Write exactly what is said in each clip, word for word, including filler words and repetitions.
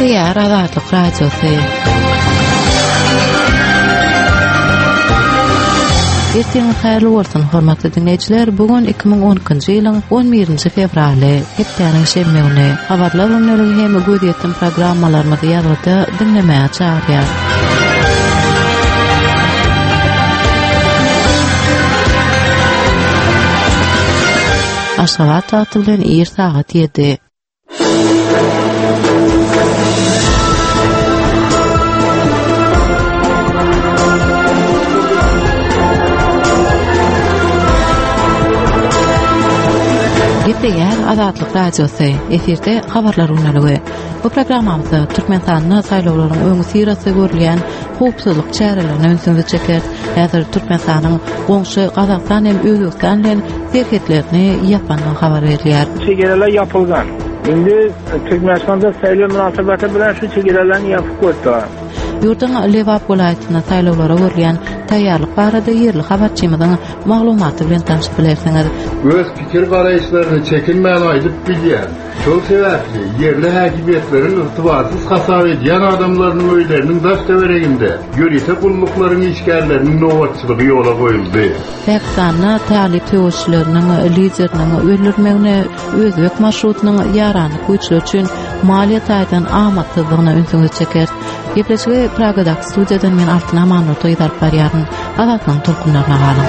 Gepleýär Azatlyk Radiosy. Ertiriňiz haýyrly bolsun, hormatly diňleýjiler. Bu gün iki müň on ikinji ýylyň on birinji fewraly, hepdäniň şenbe güni. Habarlar gündeligi hem gözýetim programmalarymyzy ýazgyda diňlemäge çagyrýar. Aşgabat wagty bilen ir sagat ýedi. Gepleýär Azatlyk Radiosy, efirde habarlar gündeligi. Bu programmamyzda Türkmenistanda saýlawlaryň öňüsyrasy görülýän howpsuzlyk çärelerine ünsüňizi çekeris. Häzir Türkmenistanyň goňşy Gazagystan hem Özbegistan bilen serhetlerini ýapandygy habar berilýär. Çegereler ýapylgan. Indi Türkmenistanda saýlaw mynasybeti bilen şu çegerelerni ýapyp goýdular. Ýurduň Lebap welaýatynda saýlawlara görülýän taýýarlyk barada ýerli habarçymyzyň maglumaty bilen tanşyp bilersiňiz. Öz pikir garaýyşlaryny çekinmän aýdyp bilýän, şol sebäpli ýerli häkimiýetleriň ygtybarsyz hasap edýän adamlarynyň öýleriniň daş-töwereginde ýörite gulluklaryň işgärleriniň nobatçylygy ýola goýuldy. Pakistanda talyp söweşçileriniň lideriniň öldürilmegine özbek marşrutynyň ýaranlyk güýçleri üçin maliýe taýdan amatsyzlygyna ünsüňizi çekeris. Gepleşigi Pragadaky studiýadan men Altyn Amanurdy gyz alyp barýaryn. Azatlygyň tolkunlaryna galyň.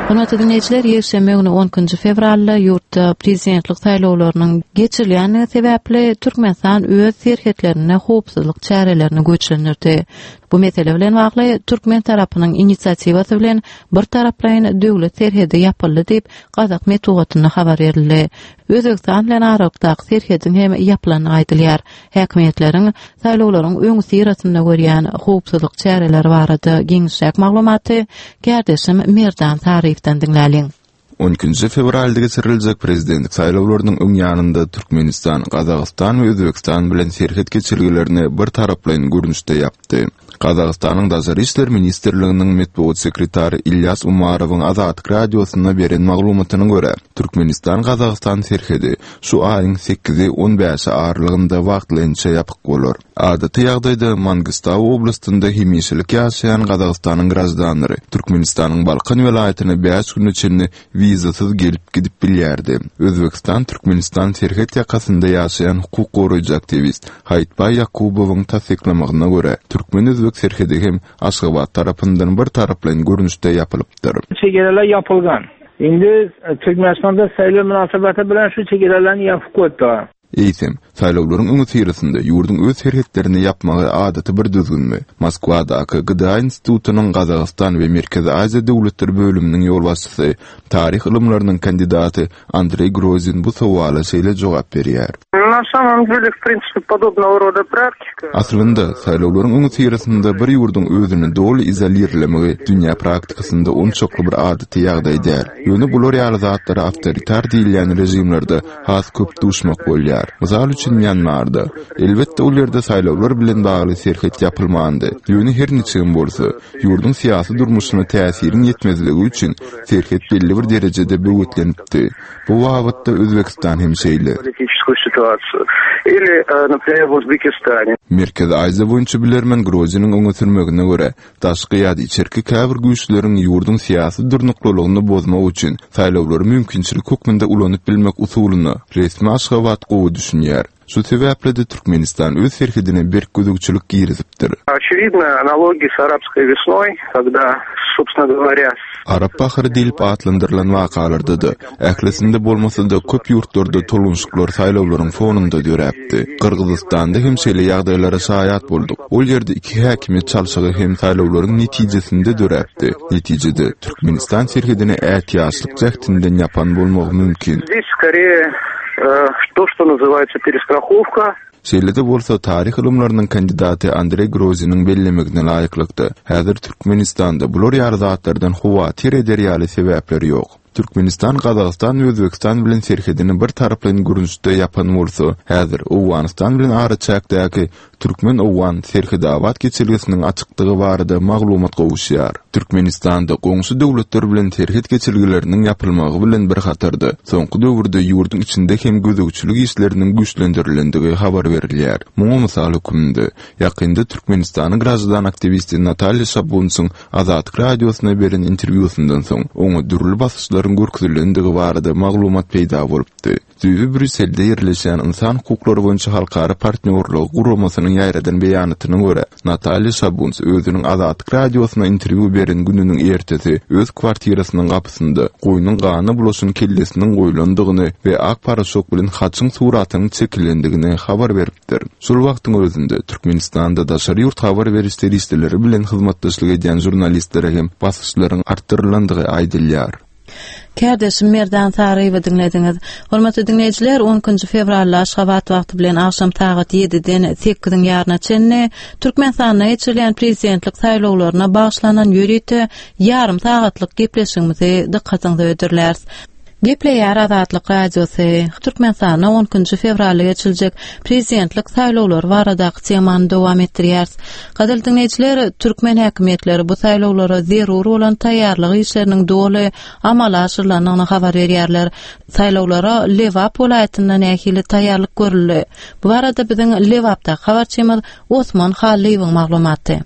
Hormatly diňleýjiler, ýekşenbe güni on ikinji fewralda ýurtda prezidentlik saýlawlarynyň geçirilýändigi sebäpli Türkmenistan öz serhetlerinde howpsuzlyk çärelerini güýçlendirdi. Bu mesele bilen bagly türkmen tarapynyň inisiatiwasy bilen bir taraplaýyn döwlet serhedi ýapyldy diýip, gazak metbugatynda habar berildi. Özbegistan bilen aralykdaky serhediň hem ýapylandygy aýdylýar. Häkimiýetleriň saýlawlaryň öňüsyrasynda görýän howpsuzlyk çäreleri barada giňişräk maglumaty kärdeşim Merdan Saryýewden diňläliň. On ikinji fewralda geçiriljek prezidentlik saýlawlarynyň öň ýanynda Türkmenistan, Gazagystan we Özbegistan bilen serhet geçelgelerini bir taraplaýyn görnüşde ýapdy. Gazagystanyň Daşary işler ministrliginiň metbugat sekretary Ilýas Umarowyň Azatlyk Radiosyna beren maglumatyna görä, Türkmenistan-Gazagystan serhedi şu aýyň sekizi on bäşi aralygynda wagtlaýynça ýapyk bolar. Adaty ýagdaýda Mangistau oblastynda hemişelik ýaşaýan Gazagystanyň graždanlary Türkmenistanyň Balkan welaýatyna bäş güne çenli wizasyz gelip gidip bilýärdi. Özbegistan-Türkmenistan serhet ýakasynda ýaşaýan hukuk goraýjy aktiwist Haýytbaý Ýakubowyň tassyklamagyna görä, türkmen-özbek serhedi hem Aşgabat tarapyndan bir taraplaýyn görnüşde ýapylypdyr. Çegereler ýapylgan. Indi Türkmenistanda saýlaw mynasybeti bilen şu çegerelerni ýapyp goýdular. Eýsem, saýlawlaryň öňüsyrasynda ýurduň öz serhetlerini ýapmagy adaty bir düzgünmi? Moskwadaky G D A institutynyň Gazagystan we Merkezi Aziýa döwletleri bölüminiň ýolbaşçysy, taryh ylymlarynyň kandidaty Andreý Grozin bu sowala şeýle jogap berýär. Na samom dele, w principe, podobного roda praktika. Aslynda, saýlawlaryň öňüsyrasynda bir ýurduň özüni doly izolirlemegi dünýä praktikasynda onçakly bir adaty ýagdaý däl. Ýöne bular ýaly zatlara awtoritar diýilýän režimlerde has köp duşmak bolýar. Mysal üçin, Mýanmarda. Elbetde, ol ýerde saýlawlar bilen bagly serhet ýapylmandy. Ýöne her niçigem bolsa, ýurduň syýasy durmuşyna täsiriň ýetmezligi üçin serhet belli bir derejede böwetlenipdi. Bu babatda Özbegistan hem şeýle. Политическую ситуацию. Или, э, например, в Узбекистане. Merkezi Aziýa boýunça bilermen Groziniň öňe sürmegine görä, daşky ýa-da içerki käbir güýçleriň ýurduň syýasy durnuklylygyny bozmak üçin saýlawlary mümkinçilik hökmünde ulanyp bilmek usulyna resmi Aşgabat gowy düşünýär. Şu sebäpli-de Türkmenistan öz serhedine berk gözegçilik girizipdir. Очевидно, аналогии с арабской весной, когда, собственно говоря, Arap bahary diýlip atlandyrylan wakalarda-da, ählisinde bolmasa-da köp ýurtlarda tolgunşyklar saýlawlaryň fonunda döräpdi. Gyrgyzystanda hem şeýle ýagdaýlara şaýat bolduk. Ol ýerde iki häkimiýet çalşygy hem saýlawlaryň netijesinde döräpdi. Netijede Türkmenistan serhedine ätiýaçlyk jähtinden ýapan bolmagy mümkin. Здесь скорее, э, то, что называется перестраховка. Şeýle-de bolsa taryh ylymlarynyň kandidaty Andreý Groziniň bellemegine laýyklykda, häzir Türkmenistanda bular ýaly zatlardan howatyr eder ýaly sebäpler ýok. Türkmenistan, Gazagystan we Özbegistan bilen serhedini bir taraplaýyn görnüşde ýapan bolsa, häzir Owganystan bilen araçäkdäki Türkmen-Owgan serhetabat geçelgesiniň açykdygy barada maglumat gowuşýar. Türkmenistanda goňşy döwletler bilen serhet geçelgeleriniň ýapylmagy bilen bir hatarda soňky döwürde ýurduň içinde hem gözegçilik işleriniň güýçlendirilendigi habar berilýär. Muňa mysal hökmünde ýakynda Türkmenistanyň graždan aktiwisti Natalýa Şabunsyň Azatlyk radiosyna beren interwýusyndan soň oňa dürli basyşlaryň görkezilendigi barada maglumat peýda bolupdy. Düýbi Brýusselde ýerleşýän Ynsan hukuklary boýunça halkara partnýorlygy guramasynyň ýaýradan beýanatyna görä, Natalýa Şabuns özüniň Azatlyk radiosyna interwýu beren gününiň ertesi öz kwartirasynyň gapysynda goýnuň gana bulaşan kellesiniň goýlandygyny we ak paraşok bilen haçyň suratynyň çekilendigini habar beripdir. Şol wagtyň özünde Türkmenistanda daşary ýurt habar beriş serişdeleri bilen hyzmatdaşlyk edýän žurnalistlere hem basyşlaryň artdyrylandygy aýdylýar. Kärdeşim Merdan Saryýewi diňlediňiz. Hormatly diňleýjiler, on ikinji fewralda Aşgabat wagty bilen agşam sagat ýediden sekiziň ýaryna çenli Türkmenistanda geçirilýän prezidentlik saýlawlaryna bagyşlanan ýörite ýarym sagatlyk gepleşigimizi dykgatyňyza hödürläris. Gepleýär Azatlyk Radiosy. Türkmenistanda on ikinji fewralda geçiriljek prezidentlik saýlawlary baradaky temany dowam etdirýäris. Gadyrly diňleýjiler, türkmen häkimiýetleri bu saýlawlara zerur bolan taýýarlyk işleriniň doly amala aşyrylandygyny habar berýärler. Saýlawlara Lebap welaýatynda nähili taýýarlyk görüldi? Bu barada biziň Lebapdaky habarçymyz Osman Hallyýewiň maglumaty.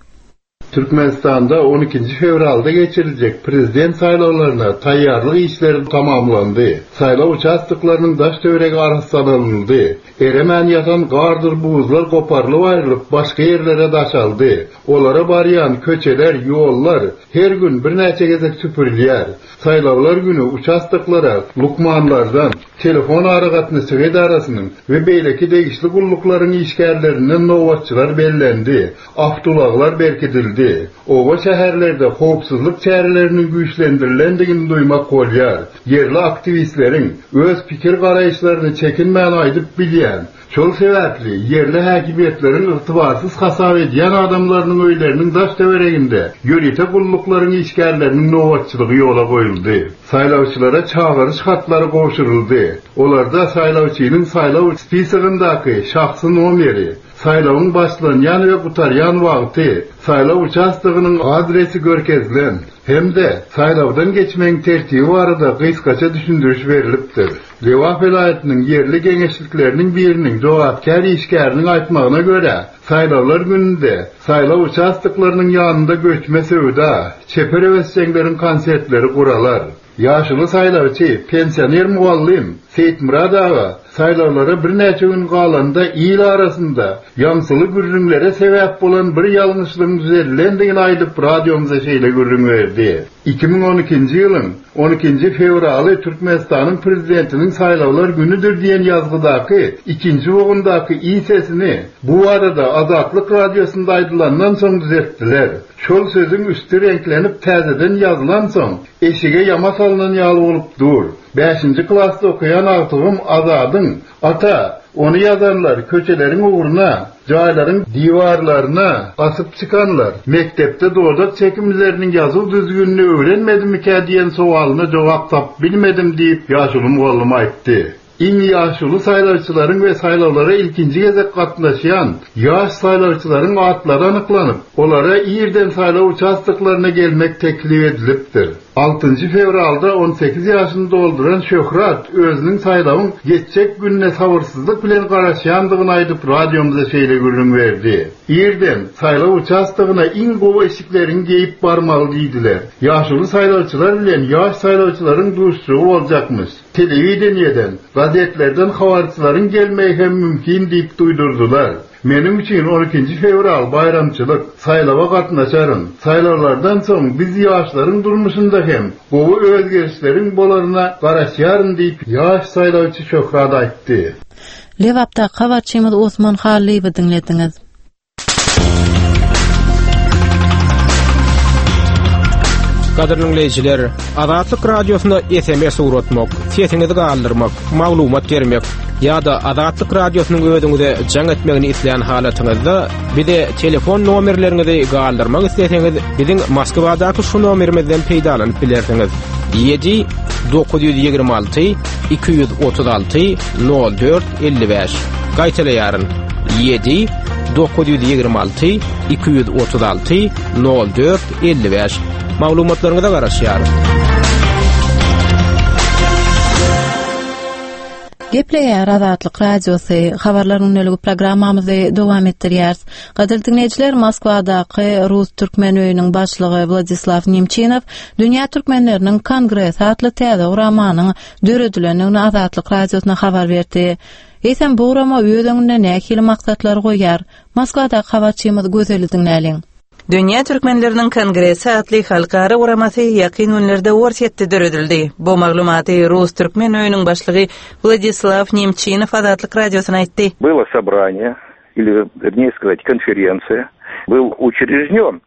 Türkmenistanda on ikinji fewralda geçiriljek prezident saýlawlaryna taýýarlyk işleri tamamlandy. Saýlaw uçastoklarynyň daş töweregi arassalanyldy. Eremän ýatan gardyr buzlar goparlyp aýrylyp başga ýerlere daşaldy. Olara barýan köçeler, ýollar her gün birnäçe gezek süpürilýär. Saýlawlar günü uçastoklara lukmanlardan, telefon aragatnaşygy edarasynyň we beýleki degişli gulluklaryň işgärlerinden nobatçylar bellendi. Awtoulaglar berkidildi. Oba şäherlerde howpsuzlyk çäreleriniň güýçlendirilendigini duýmak bolýar. Ýerli aktiwistleriň öz pikir garaýyşlaryny çekinmän aýdyp bilýän, şol sebäpli ýerli häkimiýetleriň ygtybarsyz hasap edýän adamlarynyň öýleriniň daş töwereginde ýörite gulluklaryň işgärleriniň nobatçylygy ýola goýuldy. Saýlawçylara çagyryş hatlary gowşuryldy. Olarda saýlawçynyň saýlaw spisogyndaky şahsy nomeri, saýlawyň başlanýan we gutarýan wagty, saýlaw uçastogynyň adresi görkezilen hem-de saýlawdan geçmegiň tertibi barada gysgaça düşündiriş berilipdir. Lebap welaýatynyň ýerli geňeşlikleriniň biriniň jogapkär işgäriniň aýtmagyna görä, saýlawlar gününde saýlaw uçastoklarynyň ýanynda göçme söwda, çeper höwesjeňleriň konsertleri guralar. Ýaşuly saýlawçy, pensioner mugallym Seýitmurad aga saýlawlara birnäçe gün galanda il arasynda ýaňsyly gürrüňlere sebäp bolan bir ýalňyşlygyň düzedilendigini aýdyp radiomyza şeýle gürrüň berdi. iki müň on ikinji ýylyň on ikinji fewraly Türkmenistanyň prezidentiniň saýlawlar günüdir diýen ýazgydaky ikinji bogundaky i sesini bu barada Azatlyk radiosynda aýdylandan soň düzetdiler. Şol sözüň üsti reňklenip täzeden ýazylan soň eşige ýama salynan ýaly bolup dur. Beşinji klasda okuýan agtygym Azadyň ata ony ýazanlar köçeleriň ugruna, jaýlaryň diwarlaryna asyp çykanlar, mektepde dodak çekimleriniň ýazuw düzgünini öwrenmedimikä diýen sowalyna jogap tap bilmedim diýip ýaşuly mugallym aýtdy. Iň ýaşuly saýlawçylaryň we saýlawlara ilkinji gezek gatnaşýan ýaş saýlawçylaryň atlary anyklanyp, olara irden saýlaw uçastoklaryna gelmek teklip edilipdir. Altynjy fewralda on sekiz ýaşyny dolduran Şöhrat özüniň saýlawyň geçjek gününe sabyrsyzlyk bilen garaşýandygyny aýdyp radiomyza şeýle gürrüň berdi. Irden saýlaw uçastogyna iň gowy eşiklerini geýip barmaly diýdiler. Ýaşuly saýlawçylar bilen ýaş saýlawçylaryň duşuşygy boljakmyş. Telewideniýeden, gazetlerden habarçylaryň gelmegi hem mümkin diýip duýdurdylar. Meniň üçin on ikinji fewral baýramçylyk, saýlawa gatnaşaryn. Saýlawlardan soň biz ýaşlaryň durmuşynda hem gowy özgerişleriň bolaryna garaşýaryn diýip ýaş saýlawçy Şöhrat aýtdy. Lebapda habarçymyz Osman Hallyýewi diňlediňiz. Gadyrly dinleýjiler, Azatlyk radiosyna S M S uğratmak, sesiňizi galdyrmak, maglumat bermek ýa-da Azatlyk radiosynyň özüňize jaň etmegini isleýän halatyňyzda bize telefon nomerleriňizi galdyrmak isleseňiz, biziň Moskwadaky şu nomerimizden peýdalanyp bilersiňiz. Ýedi dokuz ýüz ýigrimi alty iki ýüz otuz alty nol dört elli bäş. Gaýtalaýaryn. Ýedi dokuz ýüz ýigrimi alty iki ýüz otuz alty nol dört elli bäş. Maglumatlaryňyza garaşýarys. Gepleýär Azatlyk Radiosy, habarlar gündeligi programmamyzy dowam etdirýäris. Gadyrly diňleýjiler, Moskwadaky Rus Türkmen öýüniň başlygy Wladislaw Nemçinow Dünýä Türkmenleriniň Kongresi atly täze guramanyň döredilendigini Azatlyk Radiosyna habar berdi. Eýsem bu gurama öz öňünde nähili maksatlary goýýar? Moskwadaky habarçymyz Gözeli diňläliň. Dünýä Türkmenleriniň Kongresi atly halkara guramasy ýakyn günlerde Orsýetde döredildi. Bu maglumaty Rus Türkmen öýüniň başlygy Wladislaw Nemçinow Azatlyk Radiosyna aýtdy. Было собрание, или, вернее сказать, конференция, был учрежден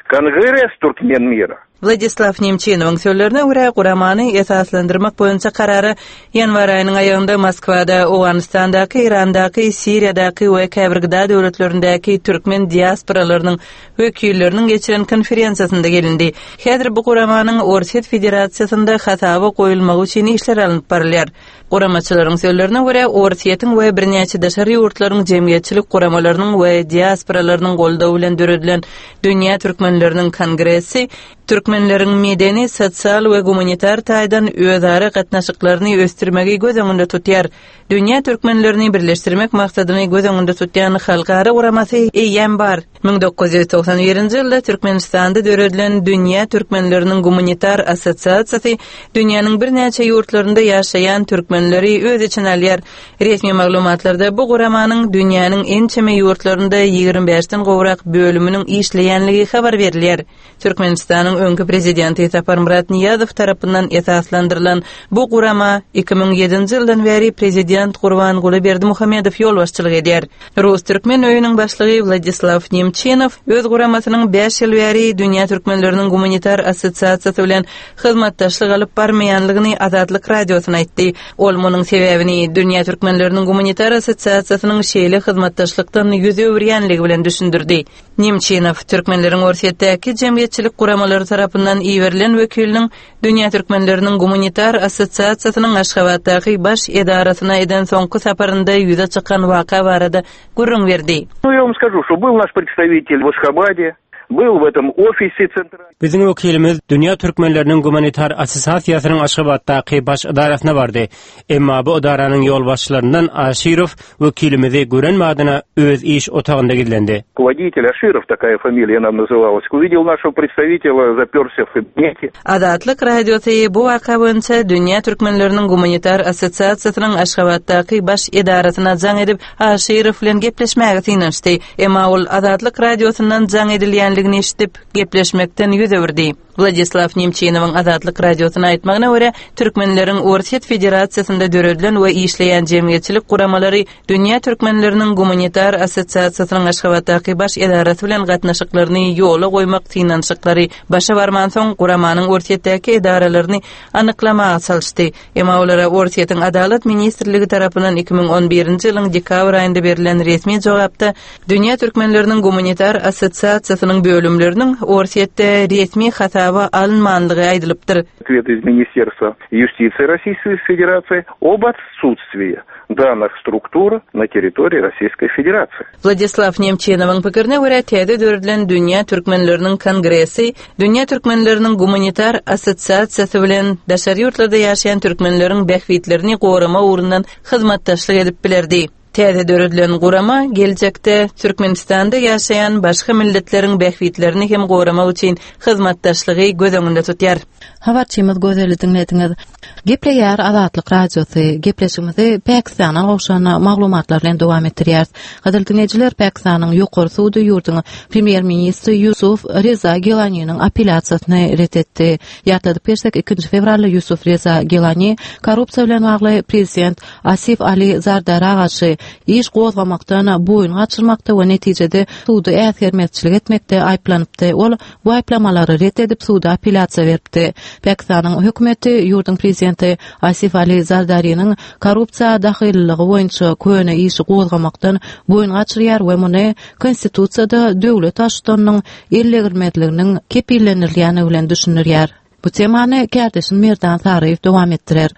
Конгресс Туркмен мира. Wladislaw Nemçinowyň sözlerine görä guramany esaslandyrmak boýunça karara ýanwar aýynyň aýagynda Moskwada, Owganystandaky, Irandaky, Siriýadaky we käbir gıda döwletlerindäki türkmen diasporalarynyň wekilleriniň geçiren konferensiýasynda gelindi. Häzir bu guramanyň Orsýet Federasiýasynda hasaba goýulmagy üçin işler alnyp barylýar. Guramaçylaryň sözlerine görä Orsýetiň we birnäçe daşary ýurtlaryň jemgyýetçilik guramalarynyň we diasporalarynyň goldawy bilen döredilen Dünýä Türkmenleriniň Kongresi Türkmenleriň medeni, sosial we gumanitar taýdan özara gatnaşyklaryny ösdürmegi göz öňünde tutýar. Dünýä Türkmenlerini birleşdirmek maksadyny göz öňünde tutýan halkara guramasy eýýäm bar. Müň dokuz ýüz togsan birinji ýylda Türkmenistanda döredilen Dünýä Türkmenleriniň Gumanitar Assosiasiýasy dünýäniň birnäçe ýurtlarynda ýaşaýan türkmenleri öz içine alýar. Resmi maglumatlarda bu guramanyň dünýäniň ençeme ýurtlarynda ýigrimi bäşden gowrak bölüminiň işleýänligi habar berilýär. Türkmenistanyň öňki prezidenti Saparmyrat Niýazow tarapyndan esaslandyrylan bu gurama iki müň ýedinji ýyldan bäri prezident Gurbanguly Berdimuhamedow ýolbaşçylyk edýär. Rus Türkmen öýüniň başlygy Wladislaw Nemçinow öz guramasynyň bäş ýyl bäri Dünýä Türkmenleriniň Gumanitar Assosiasiýasy bilen hyzmatdaşlyk alyp barmaýanlygyny Azatlyk Radiosyna aýtdy. Ol munuň sebäbini Dünýä Türkmenleriniň Gumanitar Assosiasiýasynyň şeýle hyzmatdaşlykdan ýüz öwürýänligi bilen düşündirdi. Nemçinow Türkmenleriň Orsýetdäki jemgyýetçilik guramalary tarapyndan iberilen wekiliniň Dünýä Türkmenleriniň Gumanitar Assosiasiýasynyň Aşgabatdaky baş edarasyna eden soňky saparynda ýüze çykan waka barada gürrüň berdi. Ну, я вам скажу, что был наш представитель в Ашхабаде, был в этом офисе центральном. Biziň wekilimiz Dünýä Türkmenleriniň Gumanitar Assosiasiýasynyň Aşgabatdaky baş edarasyna bardy. Emma bu edaranyň ýolbaşçylaryndan Aşirow wekilimizi gören madyna öz iş otagynda gizlendi. Руководитель Аширов, такая фамилия нам называлась, увидел нашего представителя, заперся в кабинете. Azatlyk Radiosy bu waka boýunça Dünýä Türkmenleriniň Gumanitar Assosiasiýasynyň Aşgabatdaky baş edarasyna jaň edip Aşirow bilen gepleşmäge synanyşdy. Emma ol Azatlyk Radiosyndan jaň edilýänligini eşidip gepleşmekden ýüz öwürdi. Wladislaw Nemçinowyň Azatlyk Radiosyna aýtmagyna görä, Türkmenleriň Orsýet Federasiýasynda döredilen we işleýän jemgyýetçilik guramalary Dünýä Türkmenleriniň Gumanitar Assosiasiýasynyň Aşgabatdaky baş edarasy bilen gatnaşyklaryny ýola goýmak synanyşyklary başa barmansoň guramanyň Orsýetdäki edaralaryny anyklamaga çalyşdy. Emma olara Orsýetiň Adalat Ministrligi tarapyndan iki müň on birinji ýylyň dekabr aýynda berlen resmi jogapda Dünýä Türkmenleriniň Gumanitar Assosiasiýasynyň bölümleriniň Orsýetde resmi hasaba alynmanlygy aýdylypdyr. Ответ из Министерства юстиции Российской Федерации об отсутствии данных структур на территории Российской Федерации. Wladislaw Nemçinowyň pikirine görä täze döredilen Dünýä Türkmenleriniň Kongresi Dünýä Türkmenleriniň Gumanitar Assosiasiýasy bilen daşary ýurtlarda ýaşaýan türkmenleriň bähbitlerini gorama ugrundan hyzmatdaşlyk edip bilerdi. Täze döredilen gurama geljekde Türkmenistanda ýaşaýan başga milletleriň bähbitlerini hem goramak üçin hyzmatdaşlygy göz öňünde tutýar. Habarçymyz Gözeli diňlediňiz. Gepleýär Azatlyk Radiosy. Gepleşigimizi Pakistandan gowşan maglumatlar bilen dowam etdirýäris. Gadyrly diňleýjiler, Pakistanyň ýokary sudy ýurduň premýer-ministri Ýusuf Reza Gilaniniň apellýasiýasyny ret etdi. Ýatladyp geçsek, ikinji fewralda Ýusuf Reza Gilani korrupsiýa bilen bagly prezident Asif Ali Zardara garşy iş gozgamakdan boýun gaçyrmakda we netijede sudy äsgermezçilik etmekde aýyplanypdy. Ol bu aýyplamalary ret edip suda apellýasiýa beripdi. Pakistanyň hökümeti ýurduň prezidenti Asif Ali Zardariniň korrupsiýa dahyllygy boýunça köne işi gozgamakdan boýun gaçyrýar we muny konstitusiýada döwlet baştutanynyň ellegirmezliginiň kepillendirilýäni bilen düşündirýär. Bu temany kärdeşim Merdan Saryýew dowam etdirer.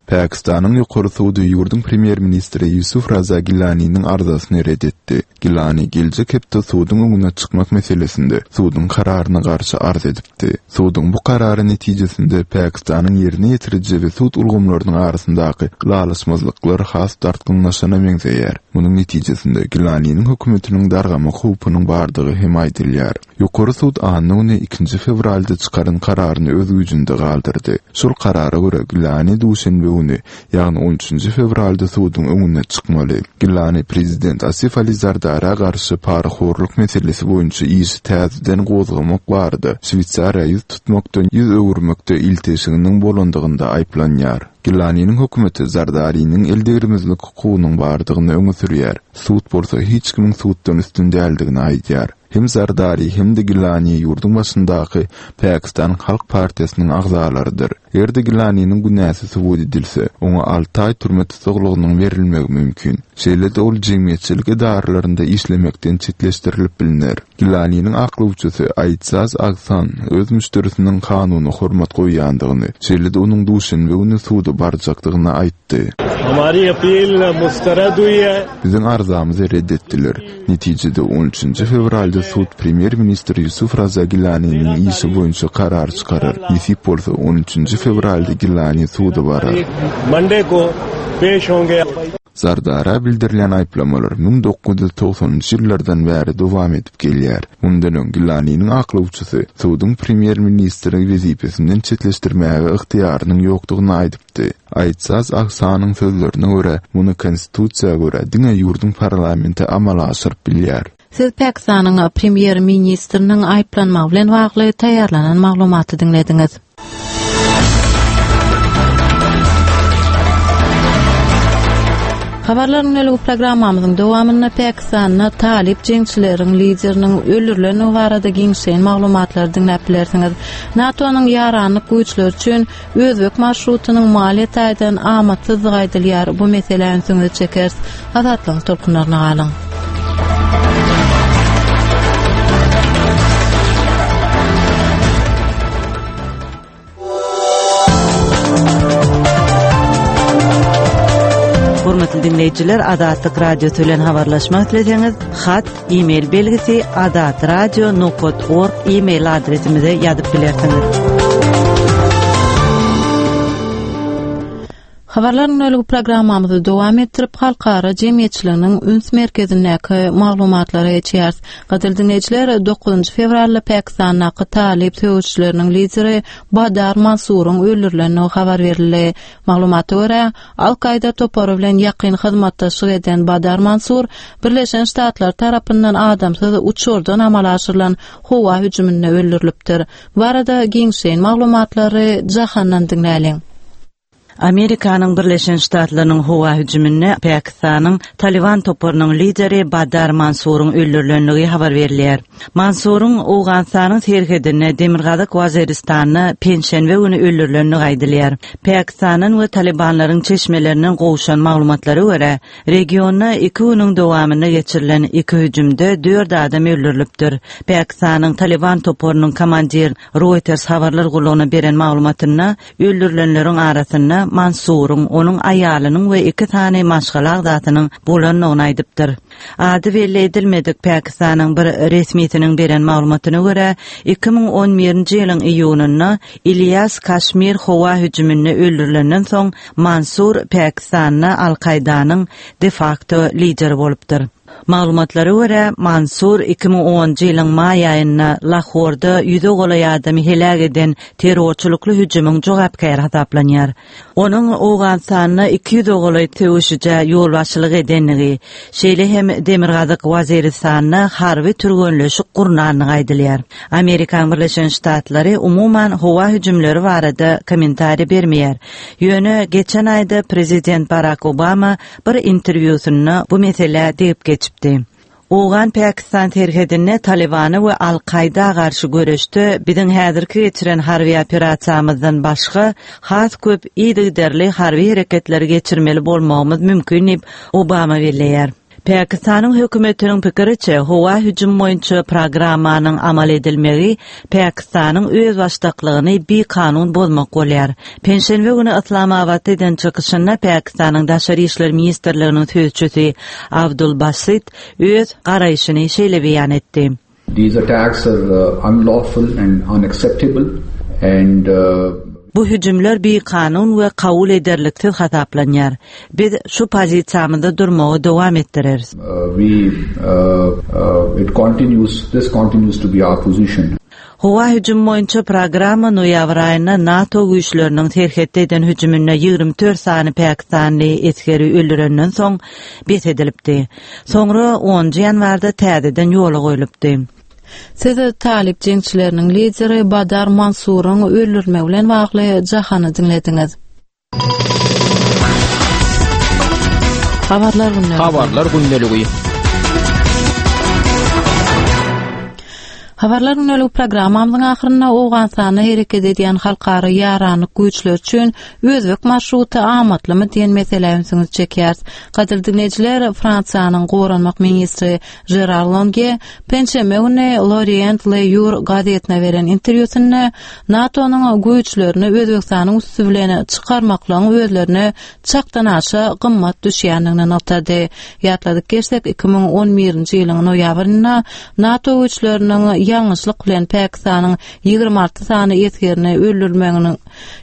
Pakistanyň ýokary sudy ýurduň premýer-ministri Ýusuf Raza Gilaniniň arzasyny red etdi. Gilani geljek hepde suduň öňüne çykmak meselesinde suduň kararyna garşy arz edipdi. Suduň bu karary netijesinde Pakistanyň ýerine ýetiriji we sud ulgamlarynyň arasyndaky ylalaşmazlyklar has dartgynlaşana meňzeýär. Munuň netijesinde Gilaniniň hökümetiniň dargamak howpunyň bardygy hem aýdylýar. Ýokary sud anna güni ikinji fewralda çykaran kararyny öz güýjünde galdyrdy. Şol karara görä Gilani duşenbe güni, ýagny on üçünji fewralda suduň öňüne çykmaly. Gilani prezident Asif Ali Zardara garşy parahorluk meselesi boýunça işi täzeden gozgamak barada Şweýsariýa ýüz tutmakdan ýüz öwürmekde ilteşiginiň bolandygynda aýyplanýar. Gilaniniň hökümeti Zardariniň eldegrimizlik hukugynyň bardygyny öňe sürýär. Sud bolsa hiç kimiň suddan üstün däldigini aýdýar. Hem Zardari hem de Gilani ýurduň başyndaky Pakistan Halk Partiýasynyň agzalarydyr. Eger-de Gilaniniň günäsi subut edilse, oňa alty aý türme tussaglygynyň berilmegi mümkin. Şeýle-de ol jemgyýetçilik edaralarynda işlemekden çetleşdirilip biliner. Gilaniniň aklawçysy Aýtsaz Agsan öz müşderisiniň kanuny hormat goýýandygyny, şeýle-de onuň duşenbe güni suda barjakdygyny aýtdy. Hamari appeal mustarad hui hai. Biziň arzamyzy red etdiler. Netijede on üçünji fewralda sud premýer-ministr Ýusuf Raza Gilaniniň işi boýunça karar çykarar. Nesip bolsa on üçünji fewralda Gilani suda barar. Monday ko peş honge. Zardara bildirilýän aýyplamalar müň dokuz ýüz togsanynjy ýyllardan bäri dowam edip gelýär. Mundan öň Gilaniniň aklawçysy suduň premýer-ministri wezipesinden çetleşdirmäge ygtyýarynyň ýokdugyny aýdypdy. Aýtsaz Agsanyň sözlerine görä, muny konstitusiýa görä diňe ýurduň parlamenti amala aşyryp bilýär. Siz Pakistanyň premýer-ministriniň aýyplanmagy bilen bagly taýýarlanan maglumaty diňlediňiz. Habarlaryň öňlügi programmamyzyň dowamynda Pakistanda talyp jeňçileriň lideriniň öldürilendigi barada giňişleýin maglumatlary diňläp bilersiňiz. NATO-nyň ýaranlyk güýçleri üçin Özbek marşrutynyň maliýe taýdan amatsyzlygy aýdylýar. Bu meselä ünsüňizi çekeris. Azatlygyň tolkunlaryna galyň. Hormatly dinleýjiler, Azatlyk Radiosy bilen habarlaşmak isleseňiz, hat, e-mail belgisi azatradio nokta org e-mail adresimize ýazyp bilersiňiz. Habarlaryň öňlügi programmamyzy dowam etdirip, halkara jemgyýetçiliginiň üns merkezindäki maglumatlara geçýäris. Gadyrly dinleýjiler, dokuzynjy fewralda Pakistandaky talyp söweşçileriniň lideri Badar Mansuryň öldürilendigi habar berildi. Maglumata görä, Al-Kaida topary bilen ýakyn hyzmatdaşlyk eden Badar Mansur Birleşen Ştatlar tarapyndan adamsyz uçardan amala aşyrylan howa hüjüminde öldürilipdir. Bu arada giňişleýin maglumatlary Jahandan diňläliň. Amerikanyň Birleşen Ştatlarynyň howa hüjüminde Pakistanyň Taliban toparynyň lideri Badar Mansuryň öldürilendigi habar berilýär. Mansuryň Owganystanyň serhedinde Demirgazyk Waziristanda penşenbe güni öldürilendigi aýdylýar. Pakistanyň we Talibanlaryň çeşmelerinden gowşan maglumatlara görä, regionda iki günüň dowamynda geçirilen iki hüjümde dört adam öldürilipdir. Pakistanyň Taliban toparynyň komandir Reuters habarlar gullugyna beren maglumatynda öldürilenleriň arasynda Mansuryň, onuň aýalynyň we iki sany maşgala agzasynyň bolandygyny aýdypdyr. Ady belli edilmedik Pakistanyň bir resmisiniň beren maglumatyna görä, iki müň on birinji ýylyň iýunynda Ilyas Kaşmir howa hüjüminde öldürilenden soň Mansur Pakistanda Al-Kaidanyň de facto lideri bolupdyr. Maglumatlara görä, Mansur iki müň onunjy ýylyň maý aýynda Lahorda ýüze golaý adamy heläk eden terrorçylykly hüjümiň jogapkäri hasaplanýar. Onuň Owganystanda iki ýüze golaý söweşije ýolbaşçylyk edenligi, şeýle hem Demirgazyk Waziristanda harby türgenleşik gurnandygy aýdylýar. Amerikan Birleşen Ştatlary umuman howa hüjümleri barada kommentariý bermeýär. Ýöne geçen aýda prezident Barack Obama bir interwýusynda bu meselä degip geçipdi. Owgan Pakistan serhedinde Talibany we Al-Kaida garşy göreşde biziň häzirki geçiren harby operasiýamyzdan başga has köp yzygiderli harby hereketleri geçirmeli bolmagymyz mümkin diýip Obama belleýär. Pakistanyň hökümetiniň pikiriçe howa hüjüm boýunça programmanyň amal edilmegi Pakistanyň özbaşdaklygyny bikanun bozmak bolýar. Penşenbe güni Yslamabatda eden çykyşynda Pakistanyň Daşary işler ministrliginiň sözçüsi Abdul Basit öz garaýşyny şeýle beýan etdi. These attacks are uh, unlawful and unacceptable and uh, Bu hüjümler bikanun we kabul ederliksiz hasaplanýar. Biz şu pozisiýamyzda durmagy dowam etdireris. uh, we uh, uh, it continues this continues to be our position. Howa hüjüm boýunça programma noýabr aýynda NATO güýçleriniň serhetde eden hüjüminde ýigrimi dört sany Pakistanly esgeri öldürenden soň bes edilipdi. Soňra onunjy ýanwarda täzeden ýola goýlupdy. Siz Talip jeňçileriniň lideri Badar Mansuryň öldürmegi bilen bagly jahany diňlediňiz. Habarlar gündeligi. Habarlar gündeligi. Habarlar gündeligi programmamyzyň ahyrynda Owganystanda hereket edýän halkara ýaranlyk güýçleri üçin özbek marşruty amatlymy diýen meselä ünsüňizi çekýäris. Gadyrly dinleýjiler, Fransiýanyň goranmak ministri Gerard Longue penşenbe güni L'Orient Le Jour gazetine beren interwýusynda NATO-nyň güýçlerini Özbekistanyň üsti bilen çykarmaklygyň özlerine çakdan aşa gymmat düşýändigini nygtady. Ýatladyk geçsek, iki müň on birinji ýylyň noýabrynda NATO güýçleriniň ýalňyşlyk bilen Pakistanyň ýigrimi alty sany esgerini öldürmeginiň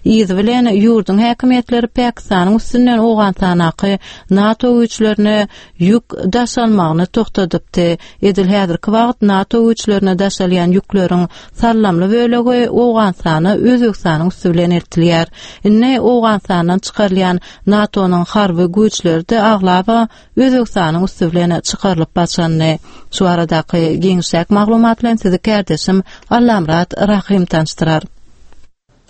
yzy bilen ýurduň häkimiýetleri Pakistanyň üstünden Owganystanaky NATO güýçlerine ýük daşalmagyny togtadypdy. Edil häzirki wagt NATO güýçlerine daşalýan ýükleriň sallamly bölegi Owganystana Özbekistanyň üstü bilen eltilýär. Indi Owganistandan çykarylýan NATO-nyň harby güýçleri de aglaba Özbekistanyň üstü bilen çykarylyp başlandy. Şu aradaky giňişlik maglumat bilen sizi kardeşim Allamrat Rahim tanışdyrar.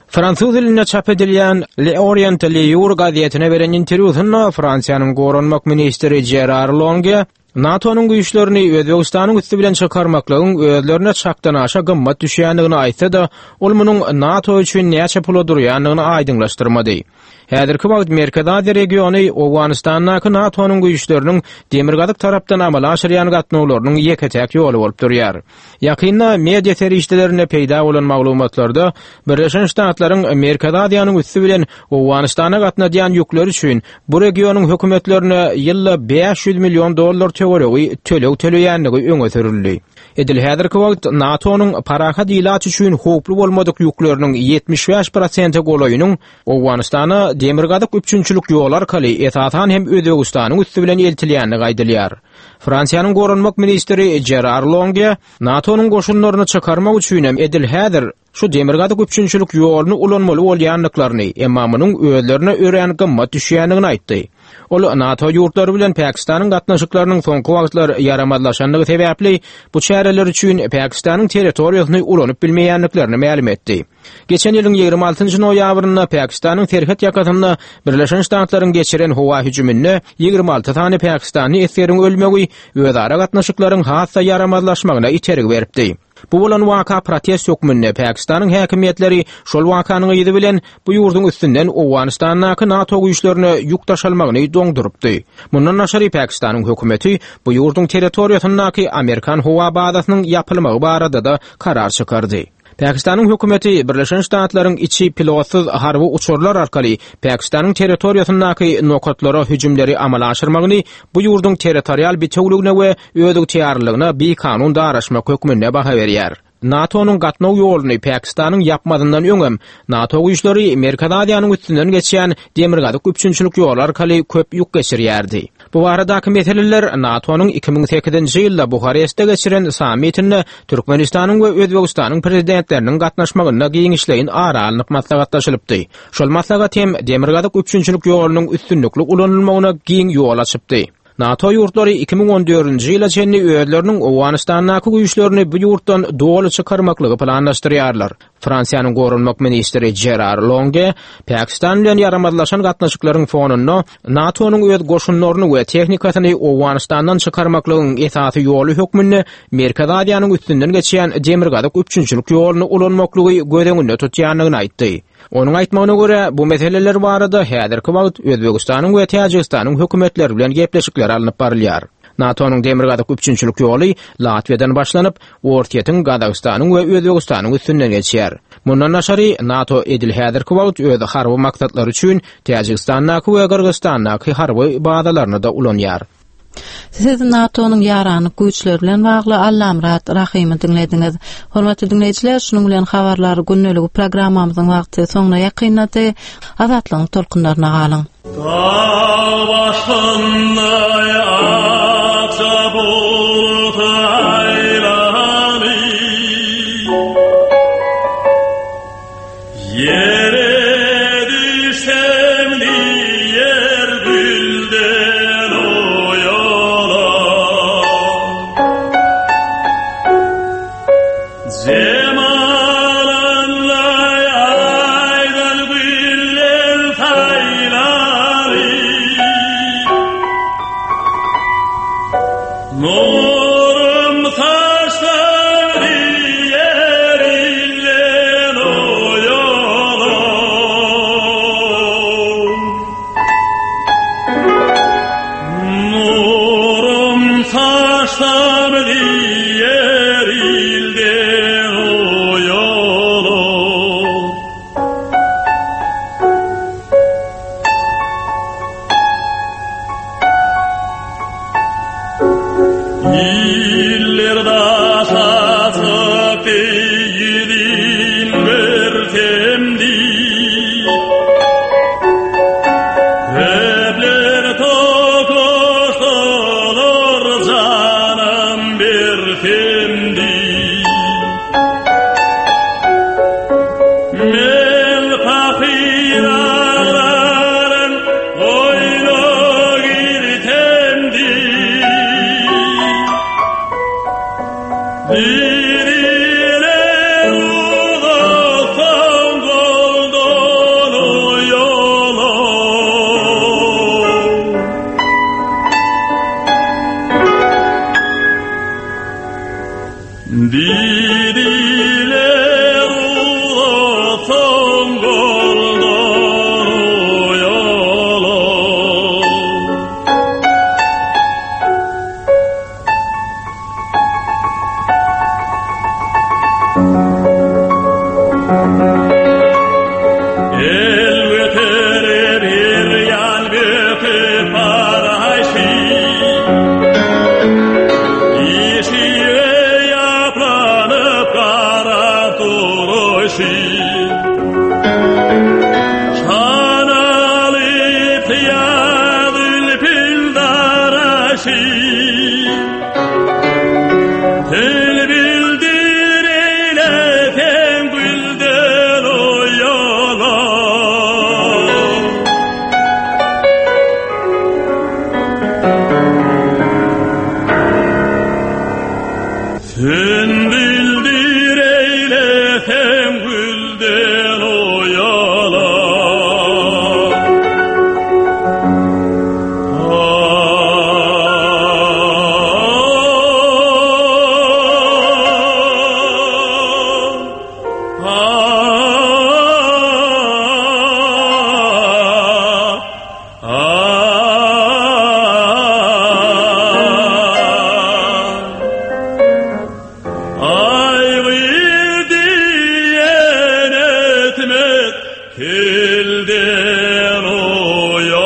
Fransuz dilinde çap edilýän Le Orient Le Jour gazetine beren interwýusynda Fransiýanyň goranmak ministri Gerard Longue NATO-nyň güýçlerini Özbekistanyň üstü bilen çykarmaklygyň özlerine çakdan aşa gymmat düşýändigini aýtsa-da, ol munuň NATO üçin näçe pula durýandygyny aýdyňlaşdyrmady. Häzirki wagt Merkezi Aziýa regiony Owganistandaky NATO-nyň güýçleriniň demirgazyk tarapdan amala aşyrýan gatnawlarynyň ýeke-täk ýoly bolup durýar. Ýakynda media serişdelerinde peýda bolan maglumatlarda Birleşen Ştatlaryň Merkezi Aziýanyň üstü bilen Owganistana gatnadýan ýükleri üçin bu regionyň hökümetlerine ýylda bäş ýüz million dollar töweregi töleg töleýändigi öňe sürüldi. Edil häzirki wagt NATO-nyň parahat ilat üçin howply bolmadyk ýükleriniň ýetmiş bäş prosente golaýynyň Owganistana demirgazyk üpjünçilik ýoly arkaly esasan hem Özbekistanyň üstü bilen eltilýändigi aýdylýar. Fransiýanyň goranmak ministri Gerard Longue NATO-nyň goşunlaryny çykarmak üçin hem edil häzir şu demirgazyk üpjünçilik ýoluny ulanmaly bolýandyklaryny, emma munuň özlerine örän gymmat düşýändigini aýtdy. Ol NATO ýurtlary bilen Pakistanyň gatnaşyklarynyň soňky wagtlar ýaramazlaşandygy sebäpli bu çäreler üçin Pakistanyň territoriýasyny ulanyp bilmeýändiklerini mälim etdi. Geçen ýylyň ýigrimi altynjy noýabrynda Pakistanyň serhet ýakasynda Birleşen Ştatlaryň geçiren howa hüjüminde ýigrimi alty sany Pakistanly esgeriň ölmegi özara gatnaşyklaryň has-da ýaramazlaşmagyna itergi beripdi. Bu bolan waka protest hökmünde Pakistanyň häkimiýetleri şol wakanyň yzy bilen bu ýurduň üstünden Owganistandaky NATO güýçlerine ýük daşalmagyny doňdurypdy. Mundan daşary Pakistanyň hökümeti bu ýurduň territoriýasyndaky Amerikan howa bazasynyň ýapylmagy barada da karar çykardy. Pakistanyň hökümeti Birleşen Ştatlaryň içi pilotsyz harby uçarlar arkaly Pakistanyň territoriýasyndaky nokatlara hüjümleri amala aşyrmagyny bu ýurduň territorial bitewligine we özygtyýarlygyna bikanun daraşmak hökmünde baha berýär. NATO-nyň gatnaw ýoluny Pakistanyň ýapmazyndan öňem NATO güýçleri Merkezi Aziýanyň üstünden geçýän demirgazyk üpjünçilik ýoly arkaly köp ýük geçirýärdi. Bu baradaky meseleler NATO-nyň iki müň sekizinji ýylda Buharestde geçiren sammitinde Türkmenistanyň we Özbekistanyň prezidentleriniň gatnaşmagynda giňişleýin ara alnyp maslahatlaşylypdy. Şol maslahat hem demirgazyk üpjünçilik ýolunyň üstünlikli ulanylmagyna giň ýol açypdy. NATO ýurtlary iki müň on dördünji ýyla çenli özleriniň Owganistandaky güýçlerini bu ýurtdan doly çykarmaklygy planlaşdyrýarlar. Fransiýanyň goranmak ministri Gerard Longue Pakistan bilen ýaramazlaşan gatnaşyklaryň fonunda NATO-nyň öz goşunlaryny we tehnikasyny Owganistandan çykarmaklygyň esasy ýoly hökmünde Merkezi Aziýanyň üstünden geçýän demirgazyk üpjünçilik ýoluny ulanmaklygy göz öňünde tutýandygyny aýtdy. Onuň aýtmagyna görä, bu meseleler barada häzirki wagt Özbekistanyň we Täjigistanyň hökümetleri bilen gepleşikler alnyp barylýar. NATO-nyň demirgazyk üpjünçilik ýoly Latwiýadan başlanyp, Orsýetiň, Gazagystanyň we Özbegistanyň üstünden geçýär. Mundan daşary NATO edil häzirki wagt öz harby maksatlary üçin Täjigistandaky we Gyrgyzystandaky harby bazalaryny da ulanýar. Siz NATO-nyň ýaranyk güýçleri bilen bagly Allamyrat Rahymy diňlediňiz. Hormatly diňleýjiler, şunuň bilen habarlar gündeligi programmamyzyň wagty soňuna ýakynlady. Azatlygyň tolkunlaryna galyň. Dağ başında akça bulut aýlany Ýere düşsem diýer gülden oýala Cemalınla aydan güller saylany Nurum saçlar diğer illen oyala Nurum saçlar diğer ilden oyala İller daşatıp değilin bir temdi Köpler tokuştular canım bir temdi Men fakir ağlarım oyna girtemdi Diriler uzaktan goldan yola Diriler uzaktan goldan yola El göterir bir yan böküp parayşı İşiğe yaplanıp kara duruşu Şanalı piyadül pildaraşı Tel bildir eyleten gülden o yola Sen bildir eyleten gülden o yola Ay diyen etmet tilden oyalar.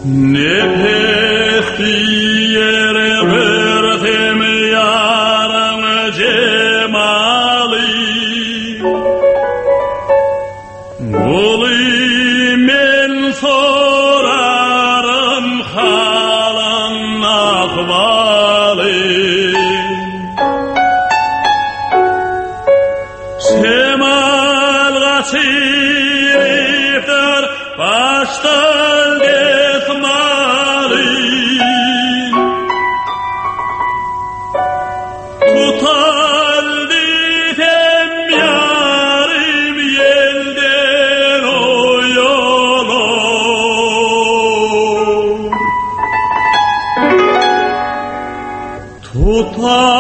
Nefes diyere verdim yarın cemali Guli men sorarım halın ahvali Şemal kaçırıptır baştan desmali Tutaldı Tupan